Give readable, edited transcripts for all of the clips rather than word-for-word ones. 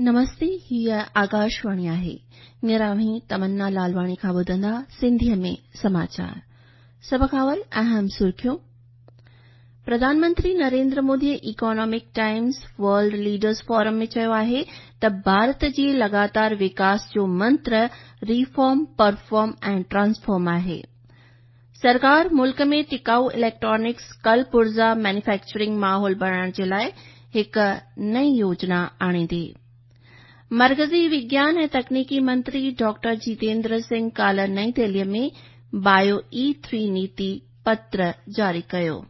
نمستي، هيء آڪاشواڻي آهي. هينئر اوهين تمنا لالواڻي کان ٻڌندا سنڌيء ۾ سماچار. سڀ کان اول اهم سرخيون. Pradhan Mantri Narendra موديء Economic Times World Leaders Forum ۾ چيو آهي ته ڀارت جي لڳاتار وڪاس جو منتر ريفارم، پرفارم ۽ ٽرانسفارم آهي. سرڪار ملڪ ۾ ٽڪائو اليڪٽرانڪس ڪل پرزا مينوفيڪچرنگ ماحول بڻائڻ جي لاء هڪ نئين يوجنا آڻيندي. مرڪزي وگيان ۽ تڪنيڪي منتري ڊاڪٽر جيتيندر سنگهه ڪالهه نئين دهليء ۾ بايو اي ٿري نيتي پتر جاري ڪيو.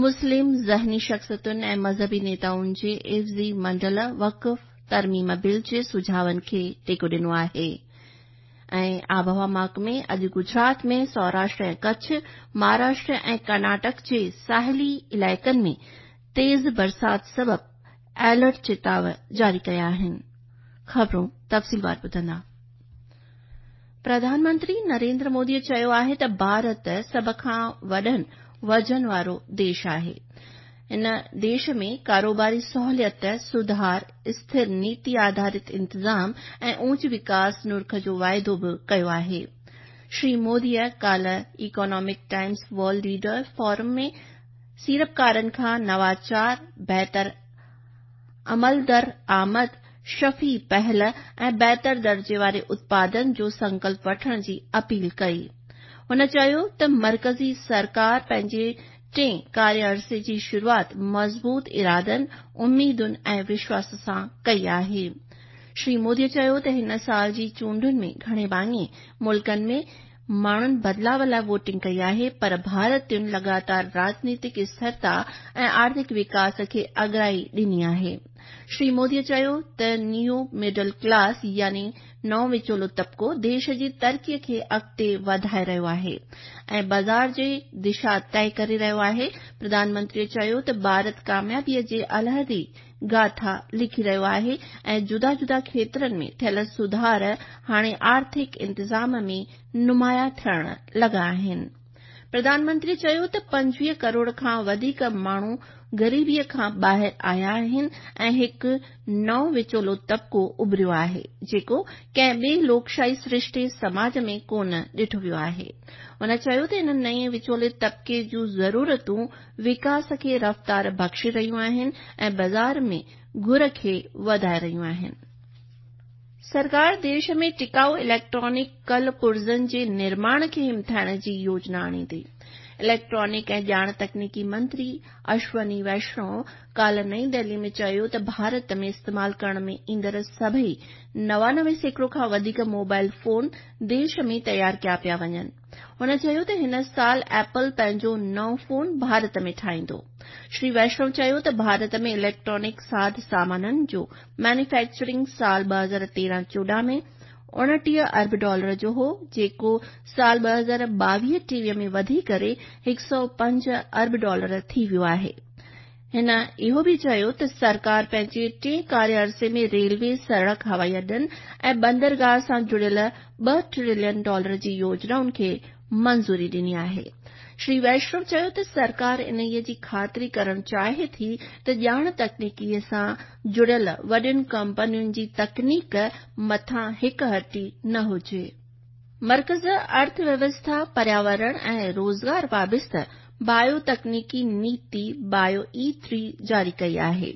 مسلم ذهني شخصيتن ۽ مذهبي نيتائن جي عيوضي منڊل وقف ترميم بل جي سجهاون کي ٽيڪو ڏنو آهي. ۽ آبهوا محڪمي اڄ گجرات ۾ سوراشٽر ۽ ڪڇ، مهاراشٽر ۽ ڪرناٽڪ جي ساحلي علائقن ۾ تيز برسات سبب الرٽ چتاء جاري ڪيا آهن. خبرون تفصيلوار ٻڌندا. پرڌان منتري نريندر مودي چيو آهي ته ڀارت سڀ کان وڏن وزن وارو ديش آهي. هن ديش ۾ ڪاروباري سهوليت، سڌار، اسٿر نيتي آڌارت انتظام ۽ اوچ وڪاس نرخ جو واعدو به ڪيو آهي. شري موديء ڪالهه Economic Times World Leader Forum ۾ سيڙپڪارن کان نواچار، بهتر عملدرآمد، شفي پهل ۽ بهتر درجي واري اتپادن جو سنڪلپ وٺڻ جي اپيل ڪئي. هن چيو ته مرڪزي سرڪار پنهنجي ٽئين ڪاريه عرصي جي شروعات مضبوط ارادن، اميدن ۽ وشواس سان ڪئي آهي. شري مودي چيو ته هن سال جي چونڊن ۾ گهڻي ڀاڱي ملڪن ۾ ماڻهن بدلاء لاء ووٽنگ ڪئي آهي پر ڀارتين لڳاتار راڄنيتڪ اسٿرتا ۽ آرٿڪ وڪاس کي اڳرائي ڏني آهي. شري مودي چيو ته نيو مڊل ڪلاس يعني نئون وچولو طبقو ديش جي ترقي کي اڳتي وڌائي رهيو آهي ۽ بازار جي دشا طئي ڪري رهيو آهي. پرڌان منتري چيو ته ڀارت ڪاميابي جي علحدي گاٿا لکي رهيو آهي ۽ جدا جدا کيترن ۾ ٿيل سڌار هاڻي آرٿڪ انتظام ۾ نمايان ٿيڻ لڳا آهن. پرڌان منتري چيو ته 25 ڪروڙ کان وڌيڪ ماڻهو غريبي کان ٻاهر آيا آهن ۽ هڪ نئون وچولو طبقو اڀريو آهي، جيڪو ڪنهن ٻئي لوڪشاهي سرشتي سماج ۾ ڪونه ڏٺو ويو آهي. هن چيو ته ان نئين وچولي طبقي جون ضرورتون وڪاس کي رفتار بخشي رهيون آهن ۽ بازار ۾ گهر کي وڌائي رهيون آهن. سرڪار ديش ۾ ٽڪائو اليڪٽرانڪ ڪل پرزن جي نرماڻ کي همٿائڻ جي يوجنا آڻيندي. اليڪٽرانڪ ۽ ڄاڻ تڪنيڪي منتري اشوني ويشنو ڪالهه نئين دهلي ۾ چيو ته ڀارت ۾ استعمال ڪرڻ ۾ ايندڙ سڀئي 99% کان وڌيڪ موبائل فون ديش ۾ تيار ڪيا پيا وڃن. هن چيو ته هن سال ايپل پنهنجو نئون فون ڀارت ۾ ٺاهيندو. شري ويشنو چيو ته ڀارت ۾ اليڪٽرانڪ ساڌ سامانن جو مينوفيڪچرنگ سال 2013-14 ۾ 29 ارب ڊالر جو هو، جيڪو سال 2022-23 ۾ وڌي ڪري 105 ارب ڊالر ٿي ويو آهي. هن اهو به چيو ته سرڪار پنهنجي ٽئين ڪاريه عرصي ۾ ريلوي، سڙڪ، هوائي اڏن ۽ بندرگاهه سان جڙيل 2 ٽريلين ڊالر جي يوجنائن کي منظوري ڏني آهي. شري ويشنو چيو ته سرڪار انهيء جي خاطري ڪرڻ چاهي ٿي ته ڄاڻ تڪنيڪي سان جڙيل وڏين ڪمپنين جي تڪنيڪ مٿان هڪ هٽي نه هجي. مرڪز ارٿ ويوسٿا، پرياورڻ ۽ روزگار وابسته بايو تڪنيڪي نيتي بايو اي ٿري جاري ڪئي آهي.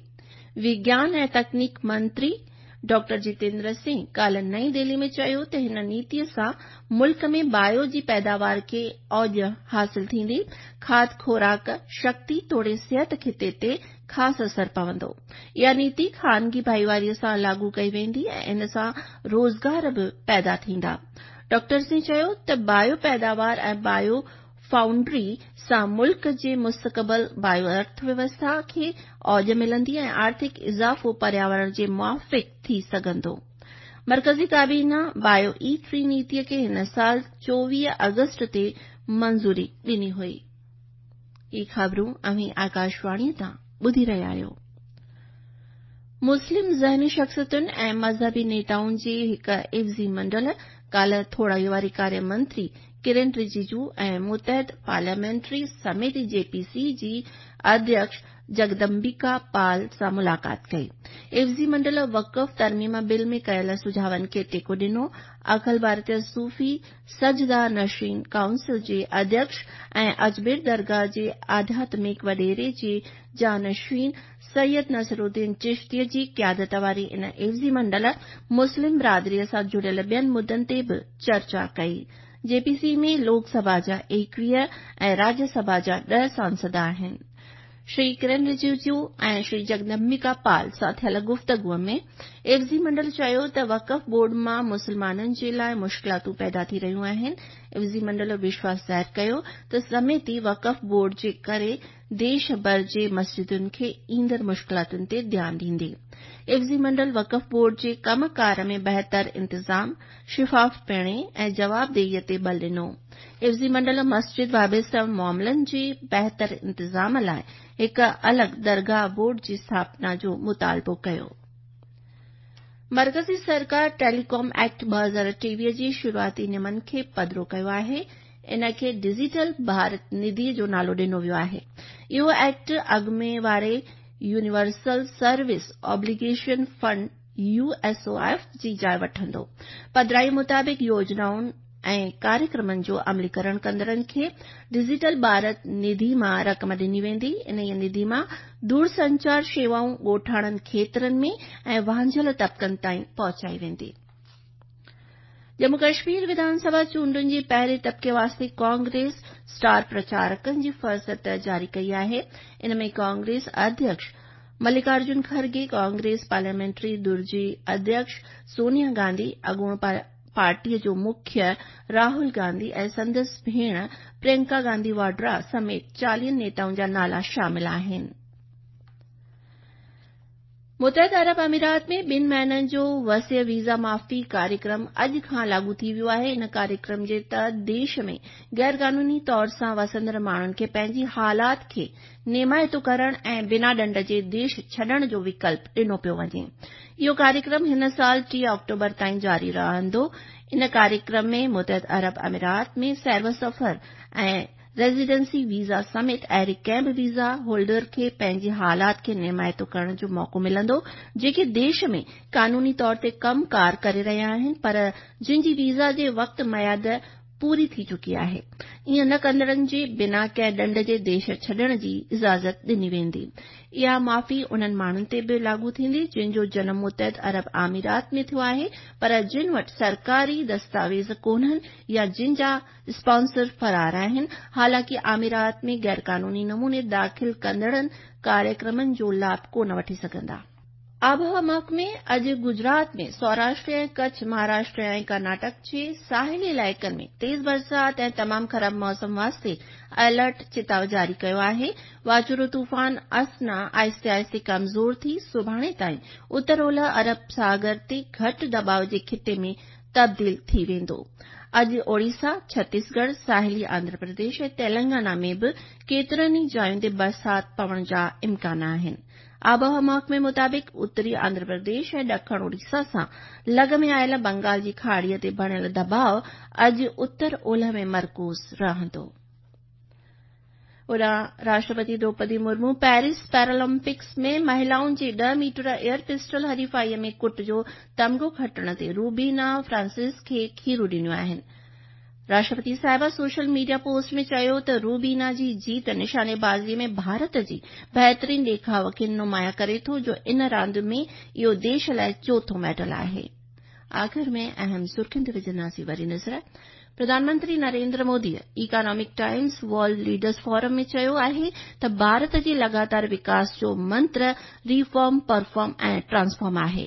وگيان ۽ تڪنيڪ منتري ڊاڪٽر جتيندر سنگهه ڪالهه نئين دهلي ۾ چيو ته هن نيتي سان ملڪ ۾ بايو جي پيداوار کي اوج حاصل ٿيندي، کاڌ خوراڪ، شڪتي توڙي صحت خطي تي خاص اثر پوندو. اها نيتي خانگي ڀائيواري سان لاڳو ڪئي ويندي ۽ ان سان روزگار به پيدا ٿيندا. ڊاڪٽر سنگهه چيو ته بايو پيداوار ۽ بايو فائونڊري سان ملڪ جي مستقبل بايو ارٿ ويوسٿا کي اوج ملندي ۽ آرٿڪ اضافو پرياورڻ جي موافق ٿي سگهندو. مرڪزي ڪابينا بايو اي ٿري نيتي کي هن سال 24 آگسٽ تي منظوري ڏني هئي. هي خبرون اوهين آڪاشواڻي تان ٻڌي رهيا آهيو. مسلم ذهني شخصيتن ۽ مذهبي نيتائن جي هڪ عيوضي منڊل ڪالهه ٿورائي واري ڪاريه منتري ڪرن رجيجو ۽ متحده پارليامينٽري سميتي، جي پي سي، جي اڌيڪش جگدمبيڪا پال سان ملاقات ڪئي. عيوضي منڊل وقف ترميم بل ۾ ڪيل سجهاون کي ٽيڪو ڏنو. اکل ڀارتيه صوفي سجده نشين ڪائونسل جي اڌيڪش ۽ اجمير درگاهه جي آڌياتمڪ وڏيري جي جانشين سيد نصرالدين چشتيء جي قيادت واري ان عيوضي منڊل مسلم برادريء سان جڙيل ٻين مدن تي به چرچا ڪئي. جي پي سي ۾ لوڪ سڀا جا 21 ۽ راجيه سڀا جا 10 سانسد آهن. شري ڪرن رجيجو ۽ شري جگدمبيڪا پال سان ٿيل گفتگو ۾ عيوضي منڊل چيو ته وقف بورڊ مان مسلمانن جي لاء مشڪلاتون پيدا ٿي رهيون آهن. عيوضي منڊل وشواس ظاهر ڪيو ته سميتي وقف بورڊ جي ڪري ديش ڀر جي مسجدن کي ايندڙ مشڪلاتن تي ڌيان ڏيندي. عيوضي منڊل وقف بورڊ جي ڪم ڪار ۾ بهتر انتظام، شفافپڻي ۽ جوابدهيء تي ٻل ڏنو. عيوضي منڊل مسجد وابسته معاملن جي بهتر انتظام لاء هڪ الڳ درگاهه بورڊ جي اسٿاپنا جو مطالبو ڪيو. مرڪزي سرڪار ٽيلي ڪام ايڪٽ 2023 جي شروعاتي نيمن کي پڌرو ڪيو آهي. ان کي ڊجيٽل ڀارت نڌي جو نالو ڏنو ويو آهي. اهو ايڪٽ اڳ ۾ واري universal service obligation fund, U S O F, جي جاء وٺندو. پڌرائي مطابق يوجنائن ۽ ڪاريڪرمن جو عمليڪرڻ ڪندڙن کي ڊجيٽل ڀارت نڌي مان رقم ڏني ويندي. انهيء نڌي مان دورسنچار شيوائون ڳوٺاڻن کيترن ۾ ۽ وانجهيل طبقن تائين پهچائي ويندي. ڄمون ڪشمير وڌان سڀا چونڊن جي پهرين طبقي واسطي ڪانگريس اسٽار پرچارڪن جي فهرست جاري ڪئي آهي. ان ۾ ڪانگريس اڌيڪش ملڪارجن کرگي، ڪانگريس پارليامينٽري ڌر جي اڌيڪش سونيا گانڌي، اڳوڻو پارٽيء جو مکيه راهول گانڌي ۽ سندس ڀيڻ پرينڪا گانڌي واڊرا سميت 40 نيتائن جا نالا شامل آهن. متحده عرب امارات ۾ ٻن مهينن جو وسيع ويزا معافي ڪاريڪرم اڄ کان لاڳو ٿي ويو آهي. ان ڪاريڪرم جي تحت ديش ۾ غيرقانوني طور سان وسندڙ ماڻهن کي پنهنجي حالات کي نيمائتو ڪرڻ ۽ بنا ڏنڊ جي ديش ڇڏڻ جو وڪلپ ڏنو پيو وڃي. اهو ڪاريڪرم هن سال 30 آڪٽوبر تائين جاري رهندو. ان ڪاريڪرم ۾ متحده عرب امارات ۾ سير و سفر ۽ ريزيڊنسي ويزا سميت اهڙي ڪنهن به ويزا هولڊر کي پنهنجي حالات کي نيمائتو ڪرڻ جو موقعو ملندو جيڪي ديش ۾ قانوني طور تي ڪم ڪار ڪري رهيا آهن پر جن جي ويزا جي وقت ميعاد پوري ٿي چڪي آهي. ائين نه ڪندڙن جي بنا ڪنهن ڏنڊ جي ديش ڇڏڻ جي اجازت ڏني ويندي. اها معافي انهن ماڻهن تي به لاڳو ٿيندي جن جو جنم متحده عرب امارات ۾ ٿيو آهي پر جن وٽ سرڪاري دستاويز ڪونهن يا جن جا اسپانسر فرار آهن، حالانڪه امارات ۾ غيرقانوني نموني داخل ڪندڙن ڪاريڪرمن جو لاڀ ڪونه وٺي سگهندا. آبهوا محڪمي اڄ گجرات ۾ سوراشٽر ۽ ڪڇ، مهاراشٽر ۽ ڪرناٽڪ جي ساحلي علائقن ۾ تيز برسات ۽ تمام خراب موسم واسطي الرٽ چتاء جاري ڪيو آهي. واچوڙو طوفان اسنا آهستي آهستي ڪمزور ٿي سڀاڻي تائين اتر اولهه عرب ساگر تي گهٽ دٻاء جي خطي ۾ تبديل ٿي ويندو. اڄ اوڙيسا، ڇتيسڳڙهه، ساحلي آنڌرا پرديش ۽ تيلنگانا ۾ به ڪيترن ئي جاين تي برسات پوڻ جا امڪان آهن. آبهوا محڪمي مطابق اتري آنڌرا پرديش ۽ ڏکڻ اوڙيسا سان لڳ ۾ آيل بنگال جي کاڙيء تي بڻيل دٻاء اڄ اتر اولهه ۾ مرڪوز رهندو. هوڏانهن راشٽرپتي دروپدي مرمو پيرس پيرالمپڪس ۾ مهلائن جي 10 ميٽر ايئر پسٽل حريفائي ۾ ڪٽ جو تمغو کٽڻ تي روبينا فرانسس کي کيرون ڏنيون آهن. راشٽرپتي صاحبه سوشل ميڊيا پوسٽ ۾ چيو ته روبينا جي جيت نشانيبازي ۾ ڀارت جي بهترين ڏيکاء کي نمايان ڪري ٿو جو ان راند ۾ اهو ديش لاء چوٿون ميڊل آهي. آخر ۾ اهم سرخين تي وجهنداسين وري نظر. Pradhan Mantri Narendra موديء economic times world leaders forum ۾ چيو آهي ته ڀارت جي لڳاتار وڪاس جو منتر ريفارم، پرفارم ۽ ٽرانسفارم آهي.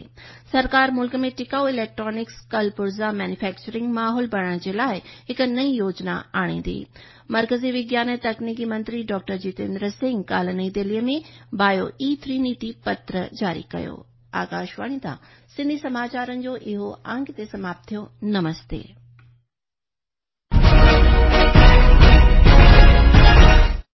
سرڪار ملڪ ۾ ٽڪائو اليڪٽرانڪس ڪل پرزا مينوفيڪچرنگ ماحول بڻائڻ جي لاء هڪ نئين يوجنا آڻيندي. مرڪزي وگيان ۽ تڪنيڪي منتري ڊاڪٽر جتيندر سنگهه ڪالهه نئين دهليء ۾ بايو اي ٿري نيتي پتر جاري ڪيو. آڪاشواڻي تان سنڌي سماچارن جو اهو انڪ هتي سماپت ٿيو. نمستي.